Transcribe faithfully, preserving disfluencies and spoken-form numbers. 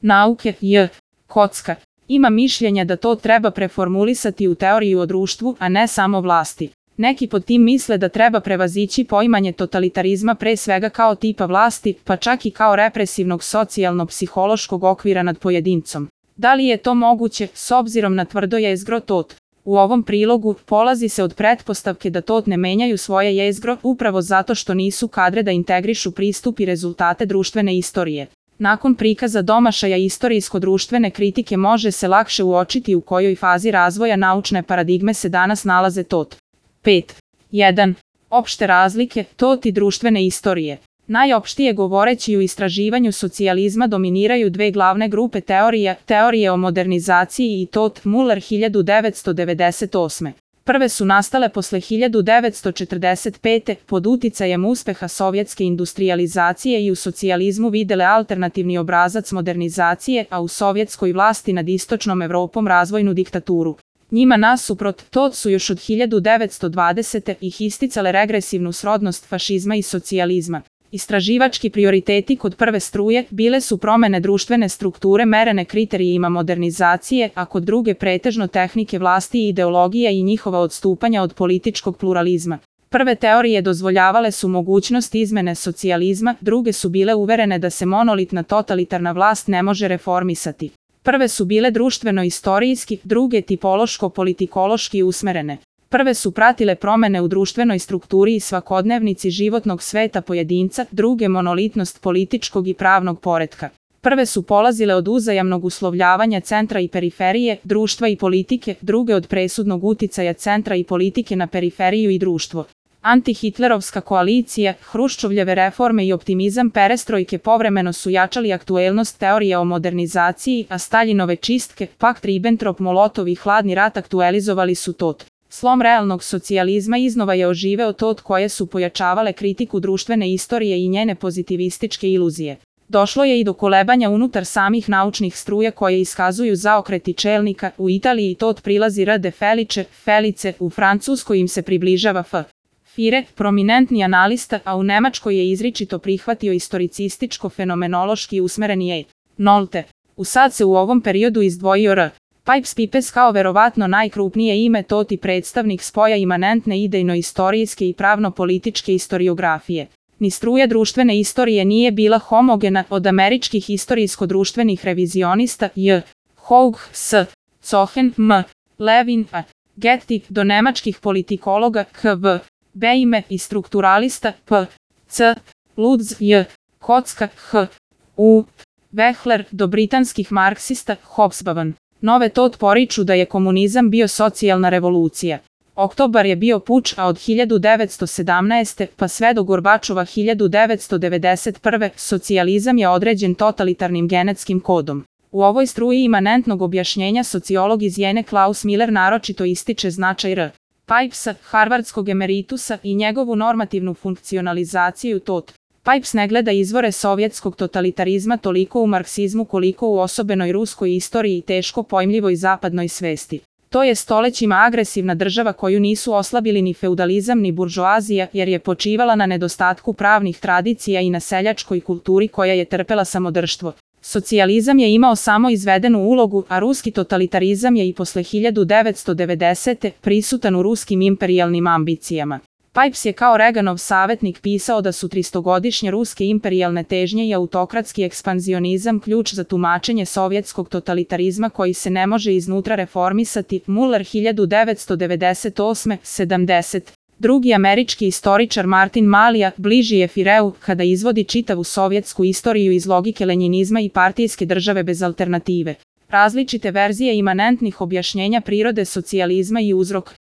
nauke J. Kocka. Ima mišljenja da to treba preformulisati u teoriju o društvu, a ne samo vlasti. Neki pod tim misle da treba prevazići poimanje totalitarizma pre svega kao tipa vlasti, pa čak i kao represivnog socijalno-psihološkog okvira nad pojedincom. Da li je to moguće, s obzirom na tvrdo jezgro tot? U ovom prilogu polazi se od pretpostavke da tot ne menjaju svoje jezgro upravo zato što nisu kadre da integrišu pristup i rezultate društvene istorije. Nakon prikaza domašaja istorijsko-društvene kritike može se lakše uočiti u kojoj fazi razvoja naučne paradigme se danas nalaze tot. pet. jedan. Opšte razlike, tot i društvene istorije. Najopštije govoreći u istraživanju socijalizma dominiraju dve glavne grupe teorija, teorije o modernizaciji i tot Muller hiljadu devetsto devedeset osme. Prve su nastale posle hiljadu devetsto četrdeset pete. pod uticajem uspeha sovjetske industrijalizacije i u socijalizmu videle alternativni obrazac modernizacije, a u sovjetskoj vlasti nad istočnom Evropom razvojnu diktaturu. Njima nasuprot, tot su još od hiljadu devetsto dvadesete. ih isticale regresivnu srodnost fašizma i socijalizma. Istraživački prioriteti kod prve struje bile su promene društvene strukture merene kriterijima modernizacije, a kod druge pretežno tehnike vlasti i ideologija i njihova odstupanja od političkog pluralizma. Prve teorije dozvoljavale su mogućnost izmene socijalizma, druge su bile uverene da se monolitna totalitarna vlast ne može reformisati. Prve su bile društveno-istorijski, druge tipološko-politikološki usmerene. Prve su pratile promene u društvenoj strukturi i svakodnevnici životnog sveta pojedinca, druge monolitnost političkog i pravnog poretka. Prve su polazile od uzajamnog uslovljavanja centra i periferije, društva i politike, druge od presudnog uticaja centra i politike na periferiju i društvo. Antihitlerovska koalicija, Hruščovljeve reforme i optimizam perestrojke povremeno su jačali aktuelnost teorije o modernizaciji, a Staljinove čistke, pakt Ribbentrop-Molotov i hladni rat aktuelizovali su tot. Slom realnog socijalizma iznova je oživeo tot koje su pojačavale kritiku društvene istorije i njene pozitivističke iluzije. Došlo je i do kolebanja unutar samih naučnih struja koje iskazuju zaokreti čelnika, u Italiji tot prilazi R. de Felice, Felice, u Francuskoj im se približava F. Fire, prominentni analista, a u Nemačkoj je izričito prihvatio istoricističko-fenomenološki usmereni E. Nolte. U sad se u ovom periodu izdvojio R. Pipes kao verovatno najkrupnije ime tot i predstavnik spoja imanentne idejno-istorijske i pravno-političke istoriografije. Ni struja društvene istorije nije bila homogena od američkih istorijsko-društvenih revizionista J. Houg, S. Cohen, M. Levin, A. Getty, do nemačkih politikologa K V. Beime i strukturalista P. C. Lutz, J. Kocka, H. U. Wechsler, do britanskih marksista Hobsbawm. Nove tot poriču da je komunizam bio socijalna revolucija. Oktobar je bio puč, a od hiljadu devetsto sedamnaeste. pa sve do Gorbačova hiljadu devetsto devedeset prve. socijalizam je određen totalitarnim genetskim kodom. U ovoj struji imanentnog objašnjenja sociolog iz Jene Klaus Miller naročito ističe značaj R. Pipesa, harvardskog emeritusa i njegovu normativnu funkcionalizaciju tot. Pipes ne gleda izvore sovjetskog totalitarizma toliko u marksizmu koliko u osobenoj ruskoj istoriji i teško pojmljivoj zapadnoj svesti. To je stolećima agresivna država koju nisu oslabili ni feudalizam ni buržoazija jer je počivala na nedostatku pravnih tradicija i na seljačkoj kulturi koja je trpela samodrštvo. Socijalizam je imao samo izvedenu ulogu, a ruski totalitarizam je i posle hiljadu devetsto devedesete. prisutan u ruskim imperijalnim ambicijama. Pipes je kao Reaganov savjetnik pisao da su tristogodišnje ruske imperijalne težnje i autokratski ekspanzionizam ključ za tumačenje sovjetskog totalitarizma koji se ne može iznutra reformisati. Muller hiljadu devetsto devedeset osme. sedamdeset. Drugi američki istoričar Martin Malija bliži je Fireu kada izvodi čitavu sovjetsku istoriju iz logike lenjinizma i partijske države bez alternative. Različite verzije imanentnih objašnjenja prirode socijalizma i uzrok